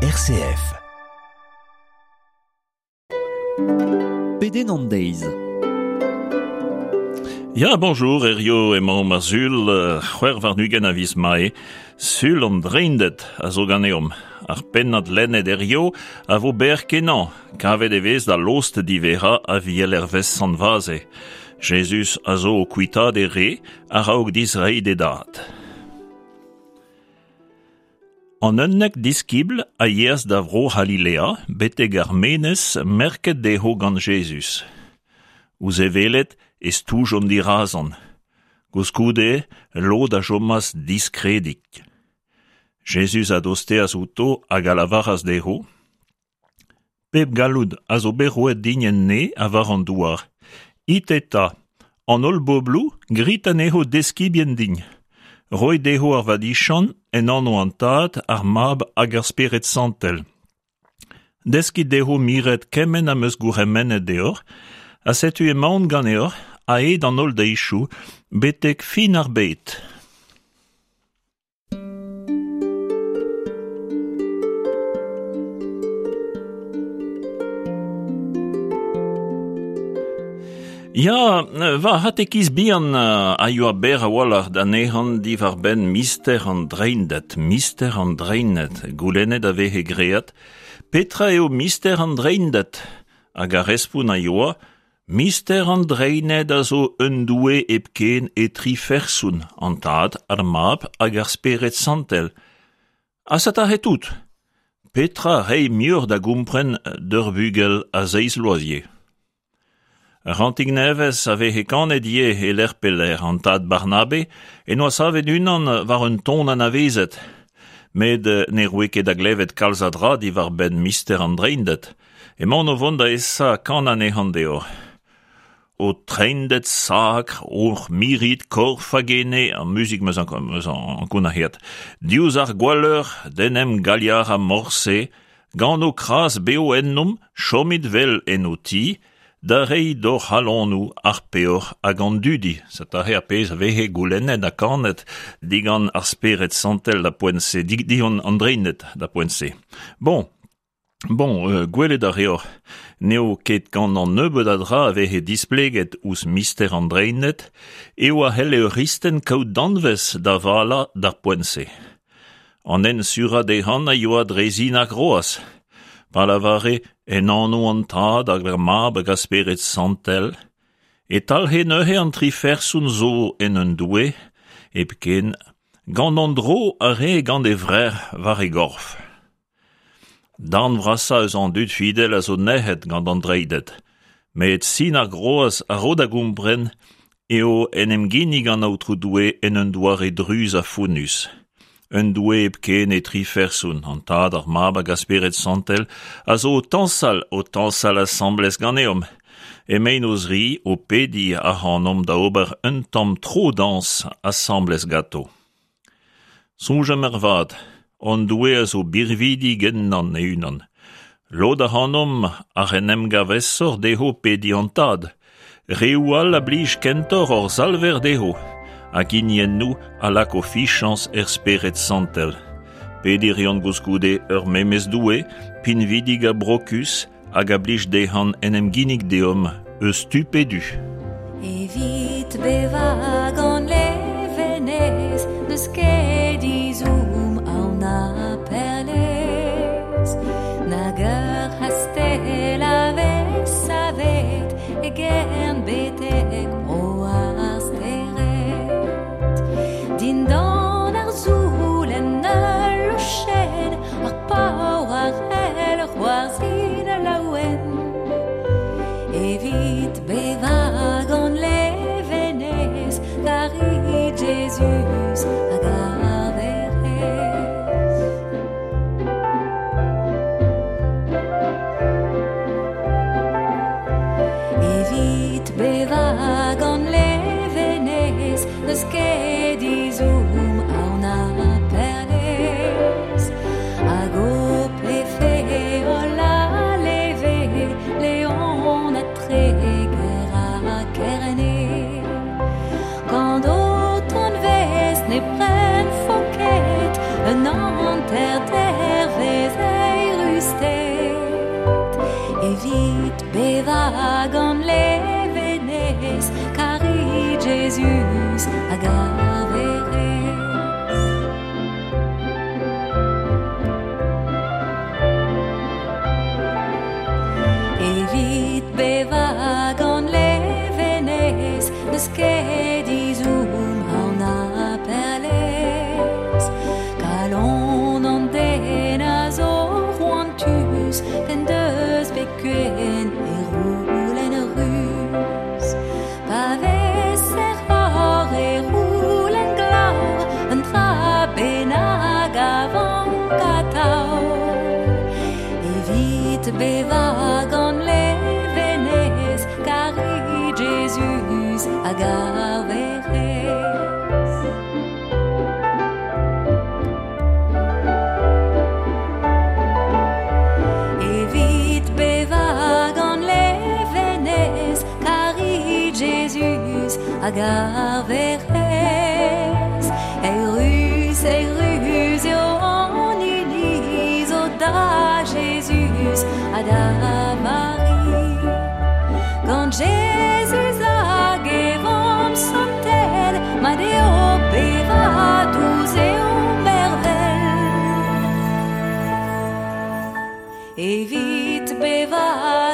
RCF. Pedenn an deiz. Ya, bonjour, Herrio emaomp ar sul, 26 a viz Mae, sul an Dreinded a zo ganeomp. Ar pennad lennet Herrio a vo berr kenañ, kavet e vez da lost diverrañ Aviel hervez Sant-Vaze. Jezuz a zo o kuitaat e re a-raok dizreiñ d'e dad. An 11 diskibl a yeas da vro C'halilea betek ar menez merket dezho gant Jezuz. Ouzh e welet e stoujont dirazan. Koulskoude, lod a chomas diskredik. Jezuz a dosteas outo hag a lavaras dezho: Pep galloud a zo bet roet din en neñv ha war an douar. It eta, an holl bobloù, grit anezho deskibien din. Roit dezho ar vadiziant en anv an Tad, ar Mab hag ar Spered Santel. Deskit dezho miret kement am eus gourc'hemennet deoc'h, ha setu emaon ganeoc'h a-hed an holl deizioù betek fin ar bed. Ya, va c'hatekiz bihan a yoa berr a-walc'h da anezhan diwar-benn mister an Dreinded. Mister an Dreinded, goulennet a veze graet, petra eo mister an Dreinded? Hag ar respont a yoa, Mister an Dreined a zo un Doue hepken e tri ferson, an Tad, ar Mab hag ar Spered Santel. Ha satahe tout. Petra reiñ muioc'h da gompren d'ur bugel a seizh vloaz ivez? Ur c'hantik nevez a veze kanet ivez e lec'h pe lec'h, an Tad Barnabe en doa savet unan war un ton anavezet. Met ne roe ket da glevet kalz a dra diwar-benn mister an Dreinded. Emaon o vont da esa kanañ anezhañ deoc'h. Ho Treinded sakr, hoc'h mirit korf hag ene, ar muzik 'm eus ankounac'heet. Diouzh ar gwalleur d'en em galiarañ morse, gant ho kras bev ennomp, chomit 'vel en ho ti, da reiñ d'hor c'halonoù ar peoc'h hag an dudi. Setu aze ar pezh a veze goulennet ha kanet digant ar Spered Santel da poent-se, digant an Dreinded da poent-se. Bon, Bon, gwelet a reoc'h, n'eo ket gant an nebeud a dra a veze displeget ouzh mister an Dreined eo a c'helle ur c'hristen kaout danvez da valañ d'ar poent-se. An hent surañ dezhañ a yoa dre sin ar groaz. Pa lavare en anv an Tad hag ar Mab hag ar Spered Santel, e talc'he neuze an tri ferson zo en un Doue hepken gant an dro a rae gant e vrec'h war e gorf. Darn vrasañ eus an dud fidel a zo nec'het gant an Dreinded, met sin ar groaz a ro da gompren eo en em ginnig an Aotrou Doue en un doare druz ha fonnus. Un Doue hepken e tri ferson, an Tad, ar Mab hag ar Spered Santel, a zo o tañsal, o tañsal asambles ganeomp. Emaint o-zri o pediñ ac'hanomp da ober un tamm tro-dañs asambles ganto. Soñjomp ervat, hon Doue a zo birvidik ennañ e-unan. Lod ac'hanomp ac'h en em gav aesoc'h dezho pediñ an Tad. Reoù all a blij kentoc'h hor Salver dezho, hag hiniennoù a lak o fichañs er Spered Santel. Pediñ 'reont koulskoude ur memes Doue, pinvidik ha brokus, hag a blij dezhañ en em ginnig deomp eus tu pe du. Evit bevañ gant levenez n'eus ket izhomm aon na perlez nag ur c'hastell a vez savet e gern betek bro ar stered dindan ar soul en ul lochenn ar paour a c'hell c'hoarzhin laouen evit bevañ gant levenez karit Jezuz hag ar Werc'hez. Evit bevañ gant levenez n'eus ket izhomm aon na perlez hag ho plefe holl a leve Leon ha Treger ha Kerne gant ho tanvez ne brenfo ket un hanter dervezh. hag ar verez. Evit beva gant levenez, n'eus ket izoum an a perlez. Kalon an den a zo c'hoantus, p'en deus bet kuen e roulen ruz. Pa vez er hor e roulen glav, un dra bennak a vank atao. Evit beva gant levenez, karit Jezuz hag ar Werc'hez. Evit beva gant levenez, karit Jezuz hag ar Werc'hez. Eurus, eurus eo an iliz o da Jezuz ha da Mari. Gant Jezuz hag e vamm santel, mat eo beva dous eo mervel. Evit beva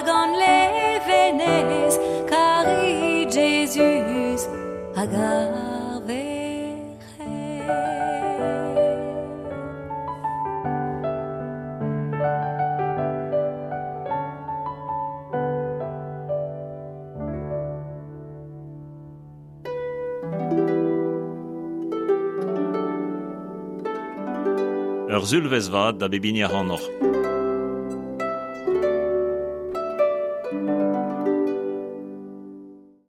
gant levenez, karit Jezuz hag ar Werc'hez. Ur zulvez vat da bep hini ac'hanoc'h.